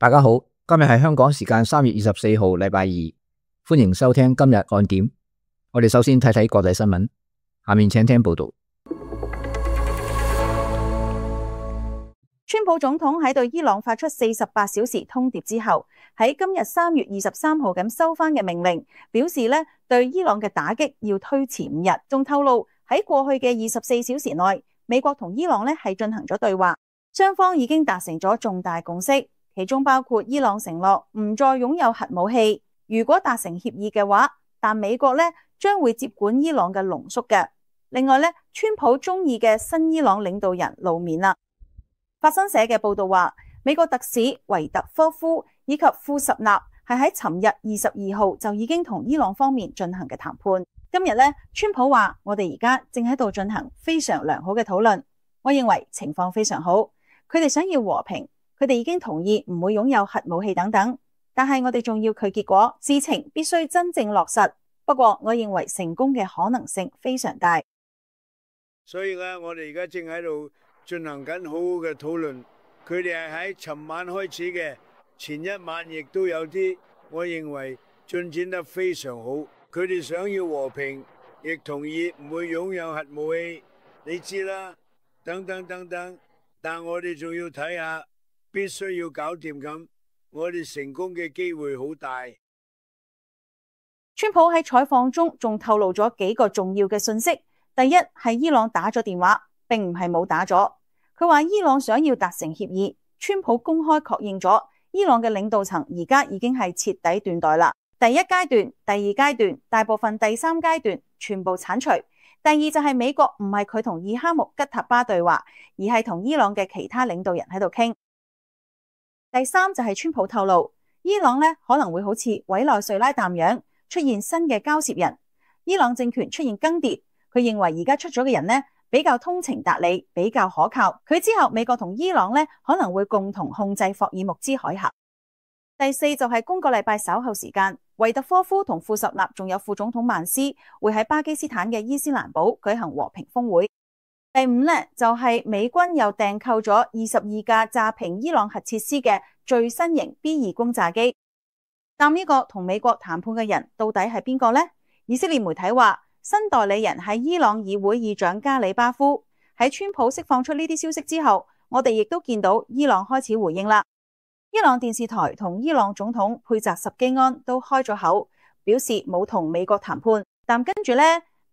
大家好，今日係香港時間3月24號，禮拜二，歡迎收聽今日看點。我哋首先睇睇國際新聞，下面請聽報道。川普總統喺對伊朗發出48小時通牒之後，喺今日3月23號咁收翻嘅命令，表示咧對伊朗嘅打擊要推遲5日。仲透露喺過去嘅24小時內，美國同伊朗咧係進行咗對話，雙方已經達成咗重大共識。其中包括伊朗承諾唔再擁有核武器，如果達成協議嘅話，但美國咧將會接管伊朗嘅濃縮嘅。另外咧，川普中意嘅新伊朗領導人露面啦。法新社嘅報道話，美國特使維特科夫以及庫什納係喺尋日22號就已經同伊朗方面進行嘅談判。今日咧，川普話我哋而家正喺度進行非常良好嘅討論，我認為情況非常好，佢哋想要和平。佢哋已經同意唔會擁有核武器等等，但係我哋仲要佢結果，事情必須真正落實。不過我認為成功嘅可能性非常大。所以咧，我哋而家正喺度進行緊好好嘅討論。佢哋係喺尋晚開始嘅，前一晚亦都有啲，我認為進展得非常好。佢哋想要和平，亦同意唔會擁有核武器，你知啦，等等等等。但我哋仲要睇下。必須要搞掂咁，我哋成功嘅機會好大。川普喺採訪中仲透露咗幾個重要嘅信息。第一係伊朗打咗電話，並唔係冇打咗。佢話伊朗想要達成協議，川普公開確認咗伊朗嘅領導層而家已經係徹底斷代啦。第一階段、第二階段、大部分第三階段全部剷除。第二就係美國唔係佢同伊哈木吉塔巴對話，而係同伊朗嘅其他領導人喺度傾。第三就係川普透露，伊朗咧可能會好似委內瑞拉淡樣出現新嘅交涉人，伊朗政權出現更迭。佢認為而家出咗嘅人呢比較通情達理，比較可靠。佢之後美國同伊朗咧可能會共同控制霍爾木茲海峽。第四就係今個禮拜稍後時間，維特科夫同庫什納仲有副總統曼斯會喺巴基斯坦嘅伊斯蘭堡舉行和平峰會。第五呢，就係美軍又訂購咗22架炸平伊朗核設施嘅最新型 B2 轟炸機。但呢個同美國談判嘅人到底係邊個呢？以色列媒體話，新代理人係伊朗議會議長加里巴夫。喺川普釋放出呢啲消息之後，我哋亦都見到伊朗開始回應啦。伊朗電視台同伊朗總統佩澤什基安都開咗口，表示冇同美國談判。但跟住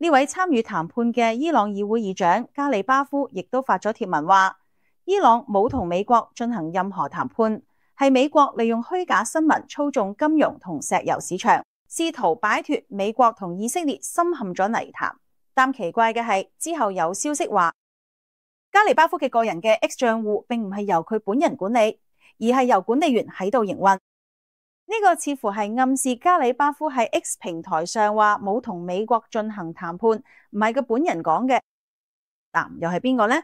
呢位參與談判嘅伊朗議會議長加里巴夫亦都發咗貼文話，伊朗冇同美國進行任何談判，係美國利用虛假新聞操縱金融同石油市場，試圖擺脫美國同以色列深陷咗泥潭。但奇怪嘅係，之後有消息話，加里巴夫嘅個人嘅 X 賬戶並唔係由佢本人管理，而係由管理員喺度營運。呢個似乎係暗示加里巴夫喺 X 平台上話冇同美國進行談判，唔係佢本人講嘅。嗱，又係邊個呢？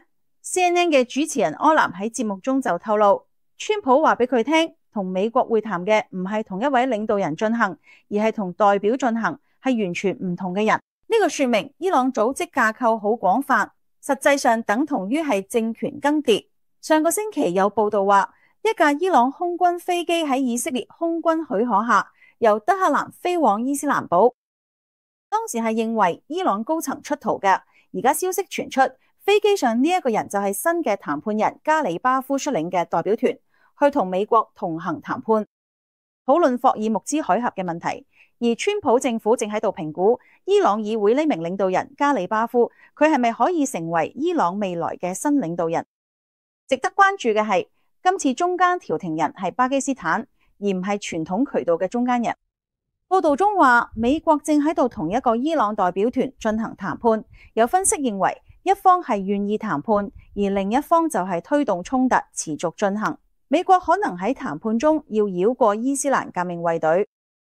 CNN 嘅主持人柯南喺節目中就透露，川普話俾佢聽，同美國會談嘅唔係同一位領導人進行，而係同代表進行，係完全唔同嘅人。呢個說明伊朗組織架構好廣泛，實際上等同於係政權更迭。上個星期有報道話，一架伊朗空軍飛機喺以色列空軍許可下，由德黑蘭飛往伊斯蘭堡。當時係認為伊朗高層出逃嘅，而家消息傳出，飛機上呢一個人就係新嘅談判人加里巴夫率領嘅代表團，去同美國同行談判，討論霍爾木茲海峽嘅問題。而川普政府正喺度評估伊朗議會呢名領導人加里巴夫，佢係咪可以成為伊朗未來嘅新領導人？值得關注嘅係，今次中間調停人係巴基斯坦，而唔係傳統渠道嘅中間人。報道中話，美國正喺度同一個伊朗代表團進行談判。有分析認為，一方係願意談判，而另一方就係推動衝突持續進行。美國可能喺談判中要繞過伊斯蘭革命衛隊，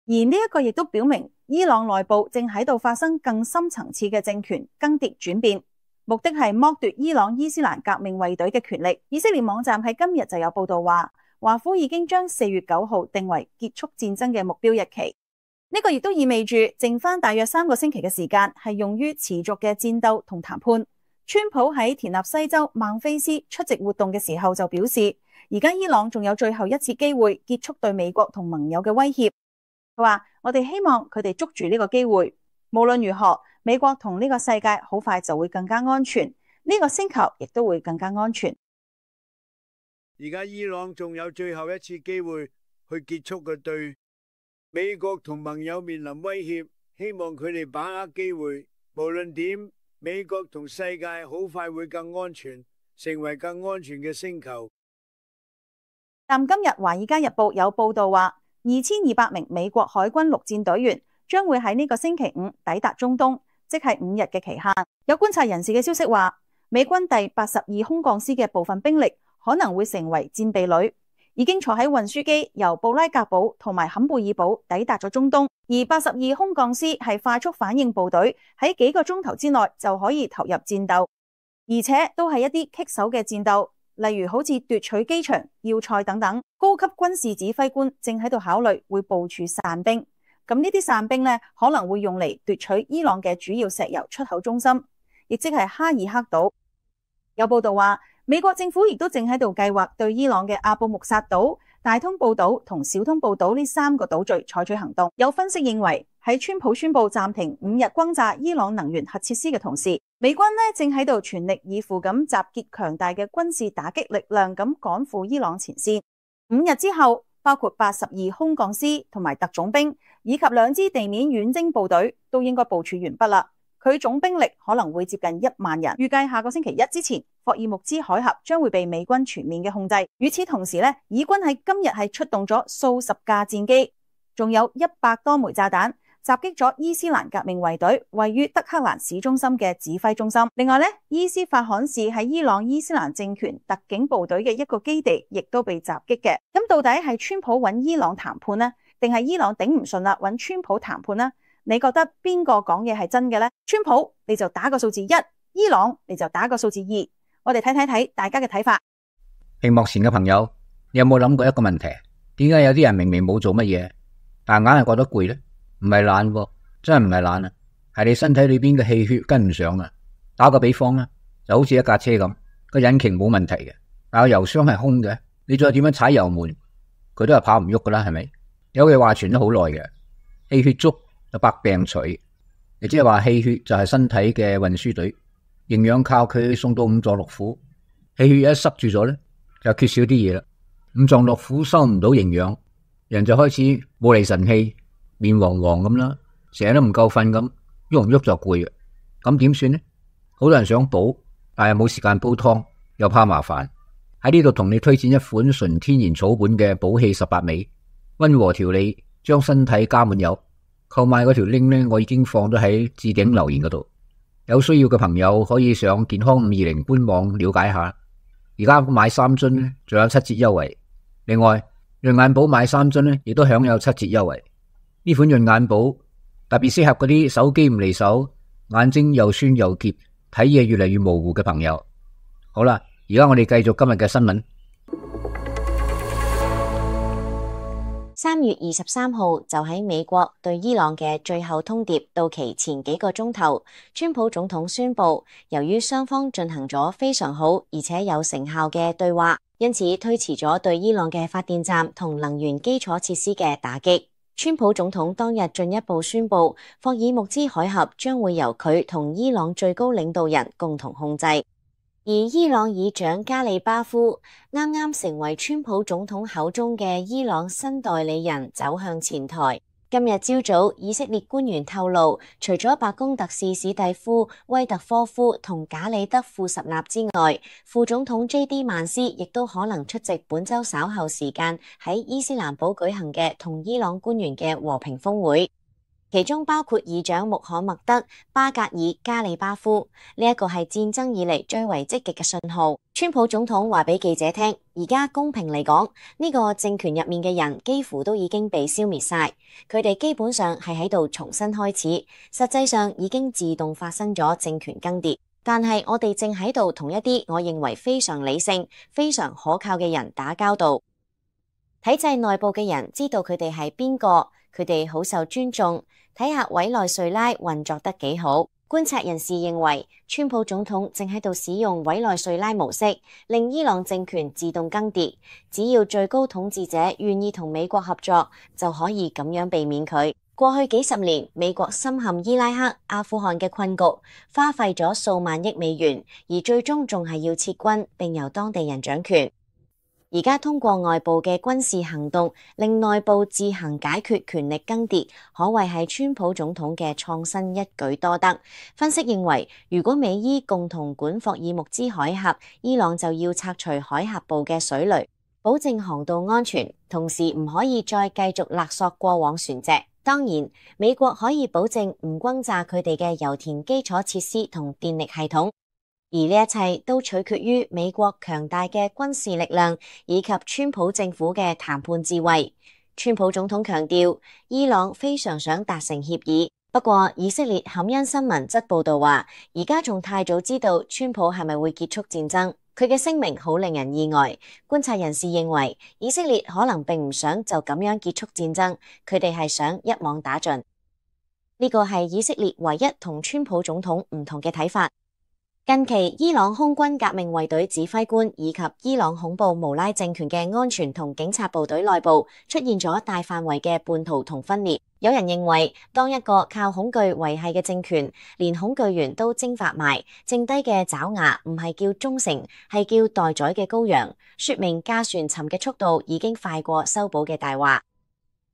而呢一個亦都表明伊朗內部正喺度發生更深層次嘅政權更迭轉變。目的係剝奪伊朗伊斯蘭革命衛隊嘅權力。以色列網站喺今日就有報道話，華府已經將4月9號定為結束戰爭嘅目標日期。呢個亦都意味住剩翻大約3個星期嘅時間係用於持續嘅戰鬥同談判。川普喺田納西州孟菲斯出席活動嘅時候就表示，而家伊朗仲有最後一次機會結束對美國同盟友嘅威脅。佢話：我哋希望佢哋捉住呢個機會。無論如何，美國同呢個世界好快就會更加安全，呢個星球亦都會更加安全。而家伊朗仲有最後一次機會去結束佢對美國同盟友面臨威脅，希望佢哋把握機會。無論點，美國同世界好快會更安全，成為更安全嘅星球。但今日《華爾街日報》有報道話，2200名美國海軍陸戰隊員將會喺呢個星期五抵達中東，即係5日嘅期限。有觀察人士嘅消息話，美軍第82空降師嘅部分兵力可能會成為戰備旅，已經坐喺運輸機由布拉格堡同埋坎貝爾堡抵達咗中東。而82空降師係快速反應部隊，喺幾個鐘頭之內就可以投入戰鬥，而且都係一啲棘手嘅戰鬥，例如好似奪取機場、要塞等等。高級軍事指揮官正喺度考慮會部署散兵，咁呢啲散兵呢，可能會用嚟奪取伊朗嘅主要石油出口中心，亦即係哈爾克島。有報道話，美國政府亦都正喺度計劃對伊朗嘅阿布穆薩島、大通布島同小通布島呢3個島嶼採取行動。有分析認為，喺川普宣布暫停5日轟炸伊朗能源核設施嘅同時，美軍呢正喺度全力以赴咁集結強大嘅軍事打擊力量，咁趕赴伊朗前線。5日之後，包括82空降師同埋特種兵，以及2支地面遠征部隊都應該部署完畢啦。佢總兵力可能會接近1萬人，預計下個星期一之前，霍爾木茲海峽將會被美軍全面嘅控制。與此同時呢，以軍喺今日係出動咗數十架戰機，仲有100多枚炸彈，襲擊咗伊斯蘭革命衛隊位於德黑蘭市中心嘅指揮中心。另外呢，伊斯法罕市喺伊朗伊斯蘭政權特警部隊嘅一個基地亦都被襲擊嘅。咁到底係川普揾伊朗談判呢，定係伊朗頂唔順啦揾川普談判呢？你覺得邊個講嘢係真嘅呢？川普你就打個數字1，伊朗你就打個數字2。我哋睇大家嘅睇法。屏幕前嘅朋友，你有冇諗過一個問題？點解有啲人明明冇做乜嘢，但硬係覺得攰呢？唔係懶喎，真係唔係懶啊，係你身體裏邊嘅氣血跟唔上啊。打個比方啦，就好似一架車咁，個引擎冇問題嘅，但係油箱係空嘅，你再點樣踩油門，佢都係跑唔喐噶啦，係咪？有句話傳咗好耐嘅，氣血足就百病除，亦即係話氣血就係身體嘅運輸隊，營養靠佢送到五臟六腑，氣血一塞住咗咧，就缺少啲嘢啦。五臟六腑收唔到營養，人就開始冇厘神氣，面黃黃咁啦，成日都唔夠瞓咁，喐唔喐就攰嘅。咁點算呢？好多人想補，但係冇時間煲湯，又怕麻煩。喺呢度同你推薦一款純天然草本嘅補氣18味，溫和調理，將身體加滿油。購買嗰條 link 呢，我已經放咗喺置頂留言嗰度，有需要嘅朋友可以上健康520官網了解下。而家買3樽呢，仲有7折優惠。另外，潤眼寶買3樽呢，亦都享有7折優惠。呢款潤眼寶特別適合嗰啲手機唔離手、眼睛又酸又澀、睇嘢越嚟越模糊嘅朋友。好啦，而家我哋繼續今日嘅新聞。3月23號就喺美國對伊朗嘅最後通牒到期前幾個鐘頭，川普總統宣布，由於雙方進行咗非常好而且有成效嘅對話，因此推遲咗對伊朗嘅發電站同能源基礎設施嘅打擊。川普總統當日進一步宣布，霍爾木茲海峽將會由佢同伊朗最高領導人共同控制。而伊朗議長加里巴夫啱啱成為川普總統口中嘅伊朗新代理人，走向前台。今日朝早，以色列官員透露，除咗白宮特使史蒂夫·威特科夫同賈里德·庫什納之外，副總統 J.D. 曼斯亦都可能出席本周稍後時間喺伊斯蘭堡舉行嘅同伊朗官員嘅和平峰會。其中包括議長穆罕默德·巴格爾加里巴夫，呢一個係戰爭以嚟最為積極嘅信號。川普總統話俾記者聽，而家公平嚟講，呢個政權入面嘅人幾乎都已經被消滅晒，佢哋基本上係喺度重新開始，實際上已經自動發生咗政權更迭。但係我哋正喺度同一啲我認為非常理性、非常可靠嘅人打交道。體制內部嘅人知道佢哋係邊個，佢哋好受尊重。睇下委內瑞拉運作得幾好。觀察人士認為，川普總統正喺度使用委內瑞拉模式，令伊朗政權自動更迭。只要最高統治者願意同美國合作，就可以咁樣避免佢。過去幾十年，美國深陷伊拉克、阿富汗嘅困局，花費咗數萬億美元，而最終仲係要撤軍，並由當地人掌權。而家通過外部嘅軍事行動，令內部自行解決權力更迭，可謂係川普總統嘅創新一舉多得。分析認為，如果美伊共同管霍爾木茲海峽，伊朗就要拆除海峽部嘅水雷，保證航道安全，同時唔可以再繼續勒索過往船隻。當然，美國可以保證唔轟炸佢哋嘅油田基礎設施同電力系統。而呢一切都取決於美國強大嘅軍事力量以及川普政府嘅談判智慧。川普總統強調，伊朗非常想達成協議，不過以色列坎恩新聞則報道話，而家仲太早知道川普係咪會結束戰爭。佢嘅聲明好令人意外。觀察人士認為，以色列可能並唔想就咁樣結束戰爭，佢哋係想一網打盡。呢個係以色列唯一同川普總統唔同嘅睇法。近期，伊朗空軍革命衛隊指揮官以及伊朗恐怖無拉政權嘅安全同警察部隊內部出現咗大範圍嘅叛徒同分裂。有人認為，當一個靠恐懼維繫嘅政權，連恐懼源都蒸發埋，剩低嘅爪牙唔係叫忠誠，係叫待宰嘅羔羊，說明駕船沉嘅速度已經快過修補嘅大話。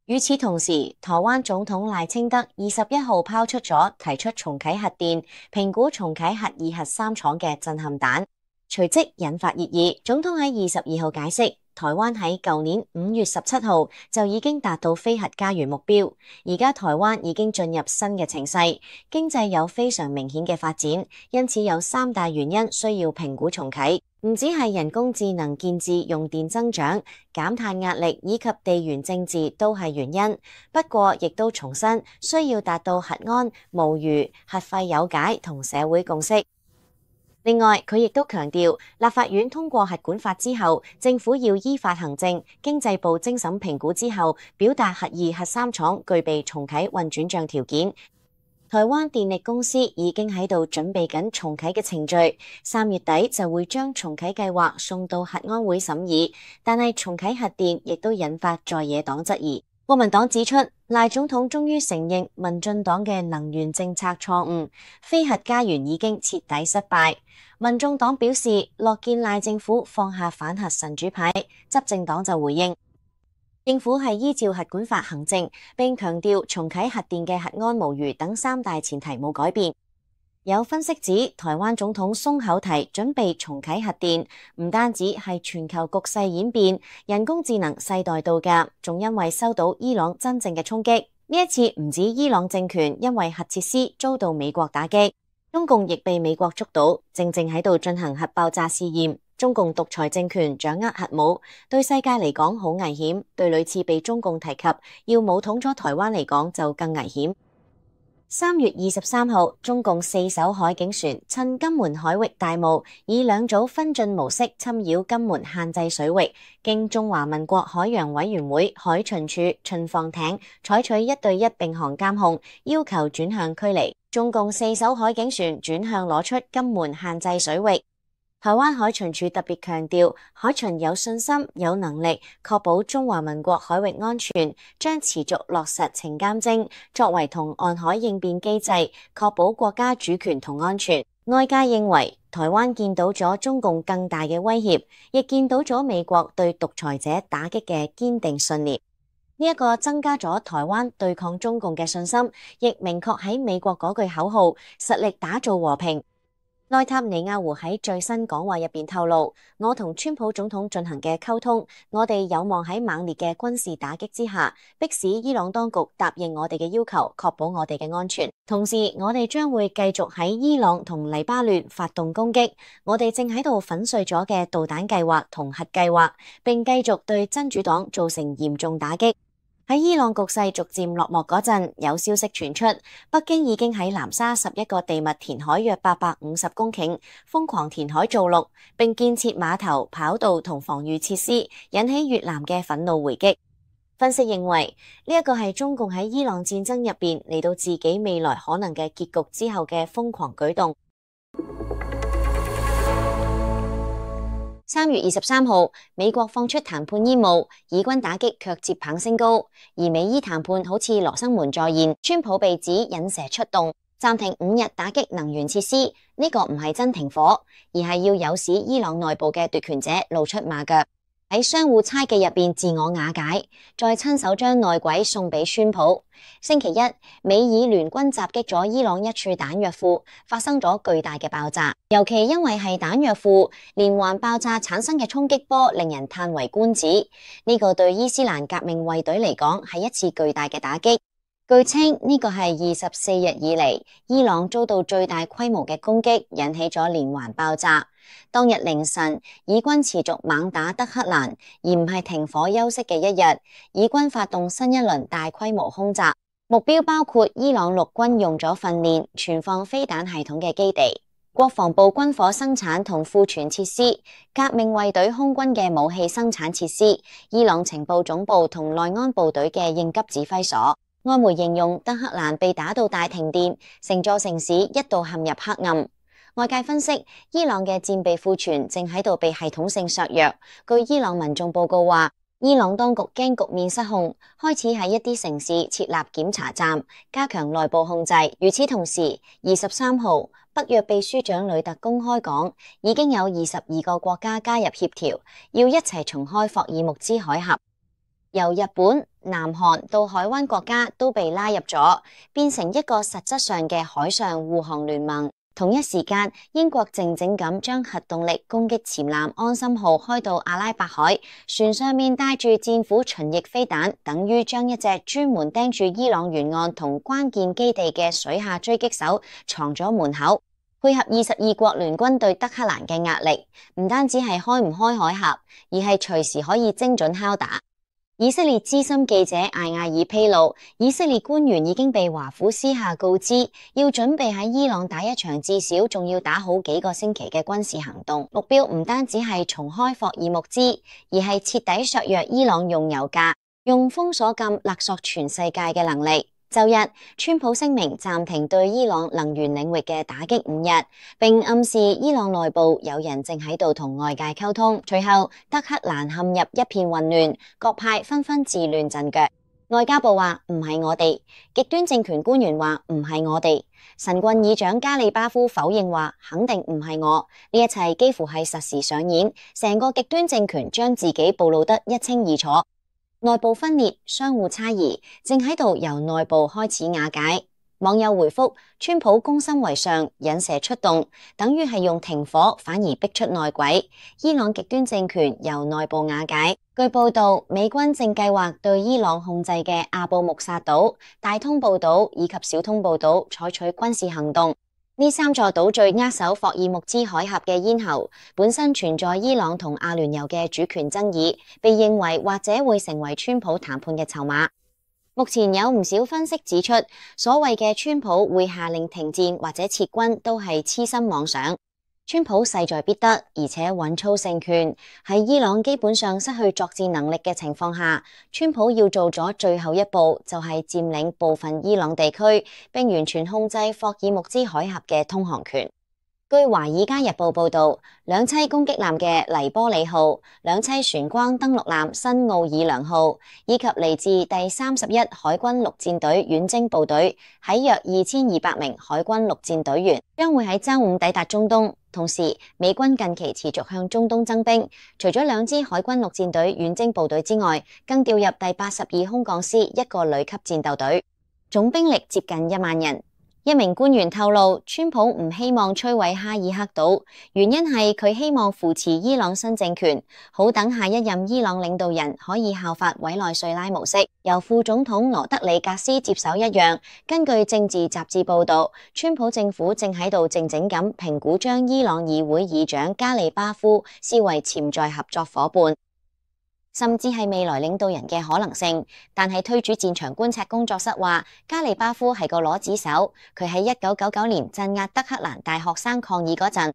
與此同時，台灣總統賴清德21號拋出咗提出重啟核電、評估重啟核2、核3廠嘅震撼彈，隨即引發熱議。總統喺22號解釋，台灣喺舊年5月17號就已經達到非核家園目標，而家台灣已經進入新嘅情勢，經濟有非常明顯嘅發展，因此有3大原因需要評估重啟。唔止係人工智能建置用電增長、減碳壓力以及地緣政治都係原因，不過亦都重申需要達到核安、無虞、核廢有解同社會共識。另外，佢亦都強調，立法院通過核管法之後，政府要依法行政，經濟部精審評估之後，表達核2、核3廠具備重啟運轉賬條件。台灣電力公司已經喺度準備緊重啟嘅程序，3月底就會將重啟計劃送到核安會審議。但係重啟核電亦都引發在野黨質疑。國民黨指出，賴總統終於承認民進黨嘅能源政策錯誤，非核家園已經徹底失敗。民眾黨表示樂見賴政府放下反核神主牌，執政黨就回應，政府係依照核管法行政，並強調重啟核電嘅核安無虞等3大前提冇改變。有分析指，台灣總統鬆口提準備重啟核電，唔單止係全球局勢演變、人工智能世代到㗎，仲因為收到伊朗真正嘅衝擊。呢一次唔止伊朗政權因為核設施遭到美國打擊，中共亦被美國捉到，正喺度進行核爆炸試驗。中共獨裁政權掌握核武，對世界嚟講好危險，對屢次被中共提及要武統咗台灣嚟講就更危險。3月23號，中共4艘海警船趁金門海域大霧，以2組分進模式侵擾金門限制水域，經中華民國海洋委員會海巡署巡防艇採取1對1並航監控，要求轉向驅離。中共4艘海警船轉向攞出金門限制水域。台灣海巡署特別強調，海巡有信心、有能力確保中華民國海域安全，將持續落實情監偵，作為同岸海應變機制，確保國家主權同安全。外界認為，台灣見到咗中共更大嘅威脅，亦見到咗美國對獨裁者打擊嘅堅定信念。呢一個增加咗台灣對抗中共嘅信心，亦明確喺美國嗰句口號，實力打造和平。內塔尼亞胡喺最新講話入邊透露，我同川普總統進行嘅溝通，我哋有望喺猛烈嘅軍事打擊之下，迫使伊朗當局答應我哋嘅要求，確保我哋嘅安全。同時，我哋將會繼續喺伊朗同黎巴嫩發動攻擊，我哋正喺度粉碎咗嘅導彈計劃同核計劃，並繼續對真主黨造成嚴重打擊。喺伊朗局勢逐漸落幕嗰陣，有消息傳出，北京已經喺南沙11個地脈填海約850公頃，瘋狂填海造陸，並建設碼頭、跑道同防禦設施，引起越南嘅憤怒回擊。分析認為，呢一個係中共喺伊朗戰爭入邊嚟到自己未來可能嘅結局之後嘅瘋狂舉動。3月23號，美國放出談判煙霧，以軍打擊卻接棒升高，而美伊談判好似羅生門再現，川普被指引蛇出洞，暫停5日打擊能源設施。呢個唔係真停火，而係要誘使伊朗內部嘅奪權者露出馬腳，喺相互猜忌入邊自我瓦解，再親手將內鬼送俾川普。星期一，美以聯軍襲擊咗伊朗一處彈藥庫，發生咗巨大嘅爆炸。尤其因為係彈藥庫，連環爆炸產生嘅衝擊波令人嘆為觀止。呢個對伊斯蘭革命衛隊嚟講係一次巨大嘅打擊。據稱呢個係24日以嚟伊朗遭到最大規模嘅攻擊，引起咗連環爆炸。當日凌晨，以軍持續猛打德黑蘭，而唔係停火休息嘅一日。以軍發動新一輪大規模空襲，目標包括伊朗陸軍用咗訓練、存放飛彈系統嘅基地、國防部軍火生產同庫存設施、革命衛隊空軍嘅武器生產設施、伊朗情報總部同內安部隊嘅應急指揮所。外媒形容德黑蘭被打到大停電，成座城市一度陷入黑暗。外界分析，伊朗嘅戰備庫存正喺度被系統性削弱。據伊朗民眾報告話，伊朗當局驚局面失控，開始喺一啲城市設立檢查站，加強內部控制。與此同時，23號，北約秘書長呂特公開講，已經有22個國家加入協調，要一齊重開霍爾木茲海峽。由日本、南韓到海灣國家都被拉入咗，變成一個實質上嘅海上護航聯盟。同一時間，英國靜靜咁將核動力攻擊潛艦安心號開到阿拉伯海，船上面帶住戰斧巡弋飛彈，等於將一隻專門盯住伊朗沿岸同關鍵基地嘅水下狙擊手藏咗門口，配合22國聯軍對德黑蘭嘅壓力，唔單止係開唔開海峽，而係隨時可以精準敲打。以色列資深記者艾亞爾披露，以色列官員已經被華府私下告知，要準備喺伊朗打一場至少仲要打好幾個星期嘅軍事行動，目標唔單止係重開霍爾木茲，而係徹底削弱伊朗用油價、用封鎖禁勒索全世界嘅能力。周日，川普聲明暫停對伊朗能源領域嘅打擊5日，並暗示伊朗內部有人正喺度同外界溝通。隨後，德黑蘭陷入一片混亂，各派紛紛自亂陣腳。外交部話唔係我哋，極端政權官員話唔係我哋，神棍議長加里巴夫否認話肯定唔係我。呢一切幾乎係實時上演，成個極端政權將自己暴露得一清二楚。內部分裂、相互猜疑，正喺度由內部開始瓦解。網友回覆：川普攻心為上，引蛇出洞，等於係用停火反而逼出內鬼。伊朗極端政權由內部瓦解。據報道，美軍正計劃對伊朗控制嘅阿布穆薩島、大通布島以及小通布島採取軍事行動。呢3座島嶼扼守霍爾木茲海峽嘅咽喉，本身存在伊朗同阿聯酋嘅主權爭議，被認為或者會成為川普談判嘅籌碼。目前有唔少分析指出，所謂嘅川普會下令停戰或者撤軍，都係痴心妄想。川普勢在必得，而且穩操勝權。喺伊朗基本上失去作戰能力嘅情況下，川普要做咗最後一步，就係佔領部分伊朗地區，並完全控制霍爾木茲海峽嘅通航權。據《華爾街日報》報道，兩棲攻擊艦嘅黎波里號、兩棲船光登陸艦新奧爾良號，以及嚟自第31海軍陸戰隊遠征部隊喺約2200名海軍陸戰隊員，將會喺週五抵達中東。同時，美軍近期持續向中東增兵，除咗2支海軍陸戰隊遠征部隊之外，更調入第82空降師1個旅級戰鬥隊，總兵力接近1萬人。一名官員透露，川普唔希望摧毀哈爾克島，原因係佢希望扶持伊朗新政權，好等下一任伊朗領導人可以效法委內瑞拉模式，由副總統羅德里格斯接手一樣。根據政治雜誌報道，川普政府正喺度靜靜咁評估將伊朗議會議長加里巴夫視為潛在合作夥伴，甚至係未來領導人嘅可能性。但係推主戰場觀察工作室話，加里巴夫係個攞子手，佢喺1999年鎮壓德黑蘭大學生抗議嗰陣，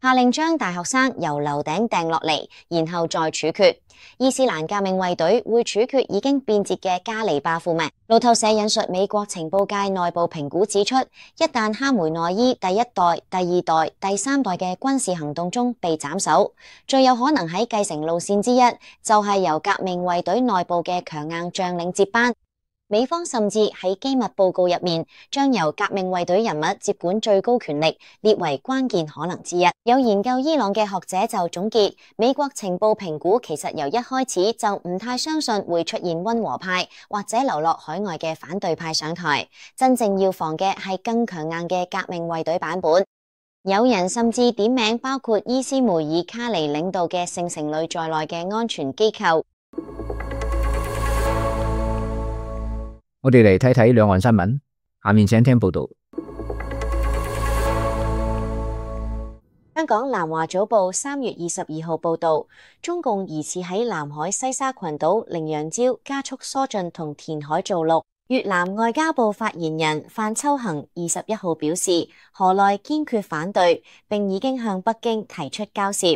下令將大學生由樓頂掟落嚟，然後再處決。伊斯蘭革命衛隊會處決已經變節嘅加里巴夫咩？路透社引述美國情報界內部評估指出，一旦哈梅內伊第一代、第二代、第三代嘅軍事行動中被斬首，最有可能喺繼承路線之一就係由革命衛隊內部嘅強硬將領接班。美方甚至喺機密報告入面，將由革命衛隊人物接管最高權力列為關鍵可能之一。有研究伊朗嘅學者就總結，美國情報評估其實由一開始就唔太相信會出現溫和派或者流落海外嘅反對派上台，真正要防嘅係更強硬嘅革命衛隊版本。有人甚至點名包括伊斯梅爾卡尼領導嘅聖城旅在內嘅安全機構。我哋嚟睇睇兩岸新聞，下面請聽報道。香港南華早報3月22號報道，中共疑似喺南海西沙群島羚羊礁加速疏浚同填海造陸。越南外交部發言人范秋恒21號表示，河內堅決反對，並已經向北京提出交涉，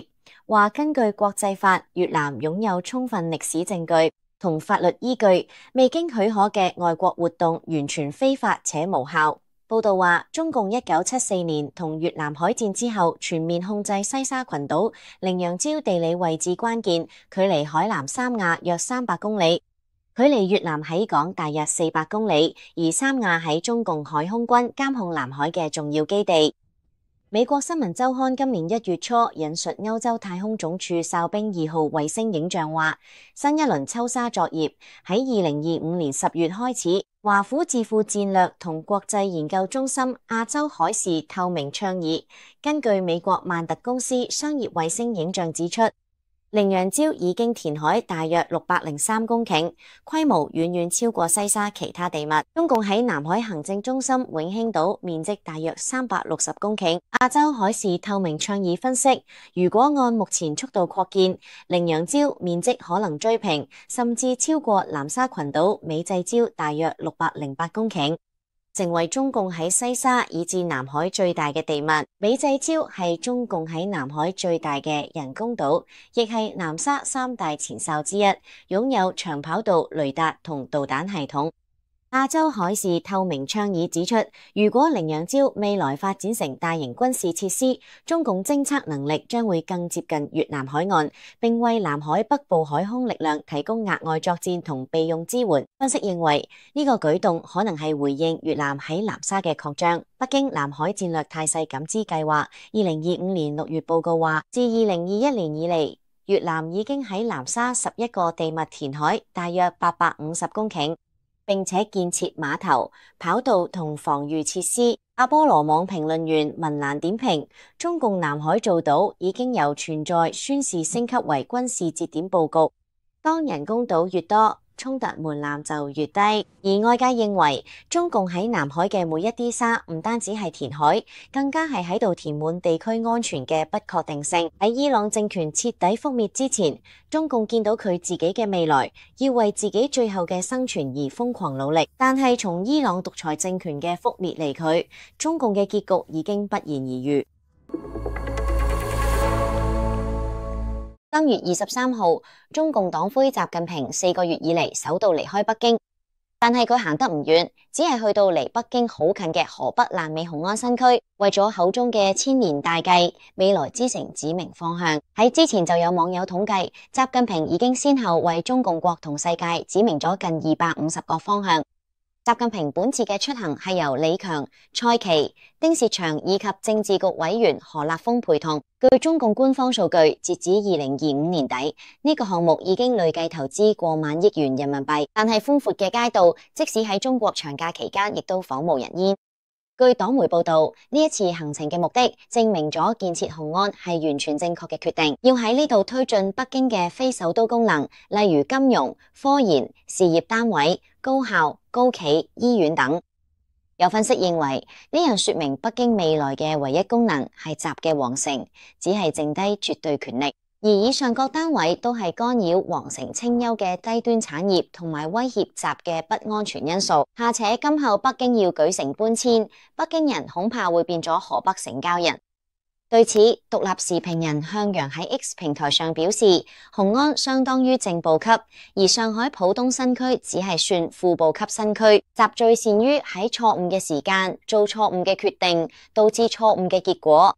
話根據國際法，越南擁有充分歷史證據同法律依據，未經許可嘅外國活動完全非法且無效。報道話，中共1974年同越南海戰之後，全面控制西沙群島，羚羊礁地理位置關鍵，距離海南三亞約300公里，距離越南喺港大約400公里，而三亞喺中共海空軍監控南海嘅重要基地。美國新聞週刊今年1月初引述歐洲太空總署哨兵2號衛星影像話，新一輪抽沙作業喺2025年10月開始。華府智庫戰略同國際研究中心亞洲海事透明倡議根據美國萬特公司商業衛星影像指出，羚羊礁已經填海大約603公頃，規模遠遠超過西沙其他地脈。中共喺南海行政中心永興島面積大約360公頃。亞洲海事透明倡議分析，如果按目前速度擴建，羚羊礁面積可能追平，甚至超過南沙群島美濟礁大約608公頃。成為中共喺西沙以至南海最大嘅地脈。美濟礁係中共喺南海最大嘅人工島，亦係南沙三大前哨之一，擁有長跑道雷達同導彈系統。亞洲海事透明倡議指出，如果羚羊礁未來發展成大型軍事設施，中共偵測能力將會更接近越南海岸，並為南海北部海空力量提供額外作戰同備用支援。分析認為，呢個舉動可能係回應越南喺南沙嘅擴張。北京南海戰略態勢感知計劃2025年6月報告話，自2021年以嚟，越南已經喺南沙11個地脈填海大約850公頃，並且建設碼頭、跑道同防禦設施。阿波羅網評論員文蘭點評，中共南海造島已經由存在宣示升級為軍事節點佈局。當人工島越多，衝突門檻就越低。而外界認為，中共喺南海嘅每一啲沙唔單止係填海，更加係喺度填滿地區安全嘅不確定性。喺伊朗政權徹底覆滅之前，中共見到佢自己嘅未來，要為自己最後嘅生存而瘋狂努力。但係從伊朗獨裁政權嘅覆滅離去，中共嘅結局已經不言而喻。3月23號，中共黨魁習近平4個月以嚟首度離開北京，但係佢行得唔遠，只係去到離北京好近嘅河北爛尾雄安新區，為咗口中嘅千年大計、未來之城指明方向。喺之前就有網友統計，習近平已經先後為中共國同世界指明咗近250個方向。習近平本次嘅出行係由李強、蔡奇、丁薛祥以及政治局委員何立峰陪同。據中共官方數據，截止2025年底，呢個項目已經累計投資過萬億元人民幣。但係寬闊嘅街道，即使喺中國長假期間，亦都仿無人煙。據黨媒報道，呢一次行程嘅目的，證明咗建設雄安係完全正確嘅決定，要喺呢度推進北京嘅非首都功能，例如金融、科研、事業單位、高校、高企、醫院等。有分析認為，呢樣說明北京未來嘅唯一功能係習嘅皇城，只係剩低絕對權力。而以上各單位都係干擾皇城清幽嘅低端產業，同埋威脅習嘅不安全因素。下且今後北京要舉城搬遷，北京人恐怕會變咗河北城郊人。對此，獨立時評人向陽喺 X 平台上表示，雄安相當於正部級，而上海浦東新區只係算副部級新區。習最善於喺錯誤嘅時間做錯誤嘅決定，導致錯誤嘅結果。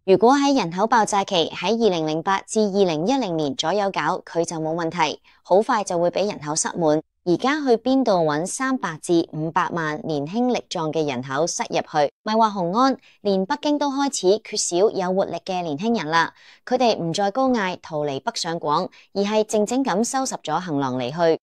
如果喺人口爆炸期喺2008至2010年左右搞，佢就冇問題，好快就會俾人口塞滿。而家去邊度揾300至500萬年輕力壯嘅人口塞入去？咪話雄安，連北京都開始缺少有活力嘅年輕人啦。佢哋唔再高嗌逃離北上廣，而係靜靜咁收拾咗行囊離去。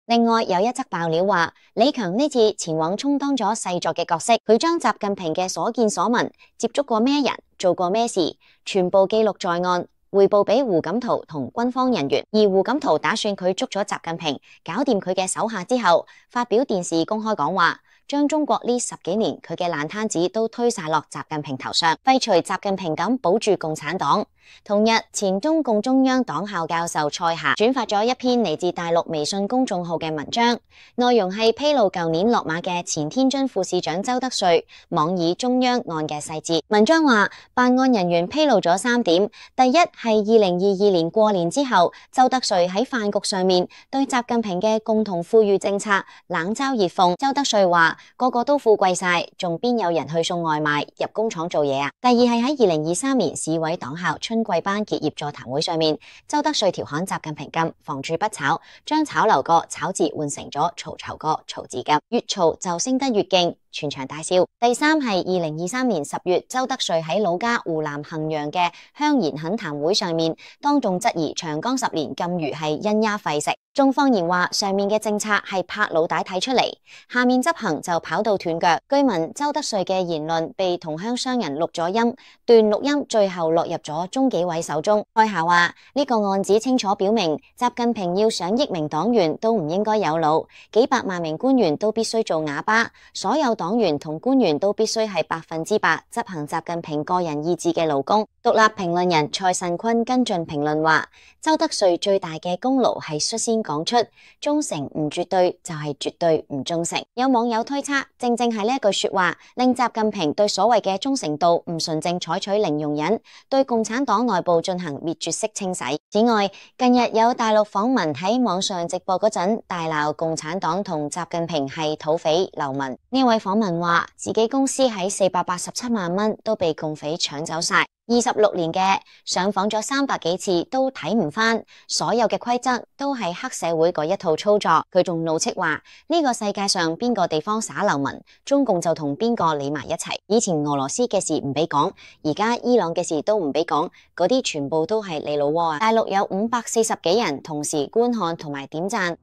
另外有一則爆料話，李強呢次前往充當咗細作嘅角色，佢將習近平嘅所見所聞、接觸過咩人、做過咩事，全部記錄在案，匯報俾胡錦濤同軍方人員。而胡錦濤打算佢捉咗習近平，搞掂佢嘅手下之後，發表電視公開講話，將中國呢10幾年佢嘅爛攤子都推晒落習近平頭上，廢除習近平咁保住共產黨。同日，前中共中央黨校教授蔡霞轉發咗一篇嚟自大陸微信公眾號嘅文章，內容係披露舊年落馬嘅前天津副市長周德瑞妄議中央案嘅細節。文章話，辦案人員披露咗3點，第一係2022年過年之後，周德瑞喺飯局上面對習近平嘅共同富裕政策冷嘲熱諷。周德瑞話，個個都富貴晒，仲邊有人去送外賣入工廠做嘢啊？第二係喺2023年市委黨校春季班結業座談會上面，周德瑞調侃習近平咁房住不炒，將炒樓個炒字換成咗曹酬個曹字咁，越嘈就升得越勁，全場大笑。第三係2023年10月，周德瑞喺老家湖南衡陽嘅鄉賢懇談會上面，當眾質疑長江10年禁漁係因丫廢食，仲放言話上面嘅政策係拍腦袋睇出嚟，下面執行就跑到斷腳。據聞周德瑞嘅言論被同鄉商人錄咗音，段錄音最後落入咗中紀委手中。蔡霞話呢個案子清楚表明，習近平要上億名黨員都唔應該有腦，幾百萬名官員都必須做啞巴，所有黨員同官員都必須係100%執行習近平個人意志嘅勞工。獨立評論人蔡慎坤跟進評論話，周德瑞最大嘅功勞係率先講出忠誠唔絕對就係絕對唔忠誠。有網友推測，正正係呢一句說話令習近平對所謂嘅忠誠度唔純正採取零容忍，對共產黨內部進行滅絕式清洗。此外，近日有大陸訪民喺網上直播嗰陣大鬧共產黨同習近平係土匪流民。呢位訪民話自己公司喺487萬蚊都被共匪搶走晒。26年嘅上訪咗300幾次都睇唔返，所有嘅規則都係黑社會嗰一套操作。佢仲怒斥話呢個世界上邊個地方耍流民，中共就同邊個理埋一齊。以前俄羅斯嘅事唔俾講，而家伊朗嘅事都唔俾講，嗰啲全部都係你老窩啊！大陸有540幾人同時觀看同埋點讚。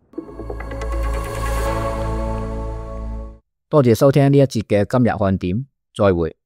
多謝收聽呢一節嘅今日看點，再會。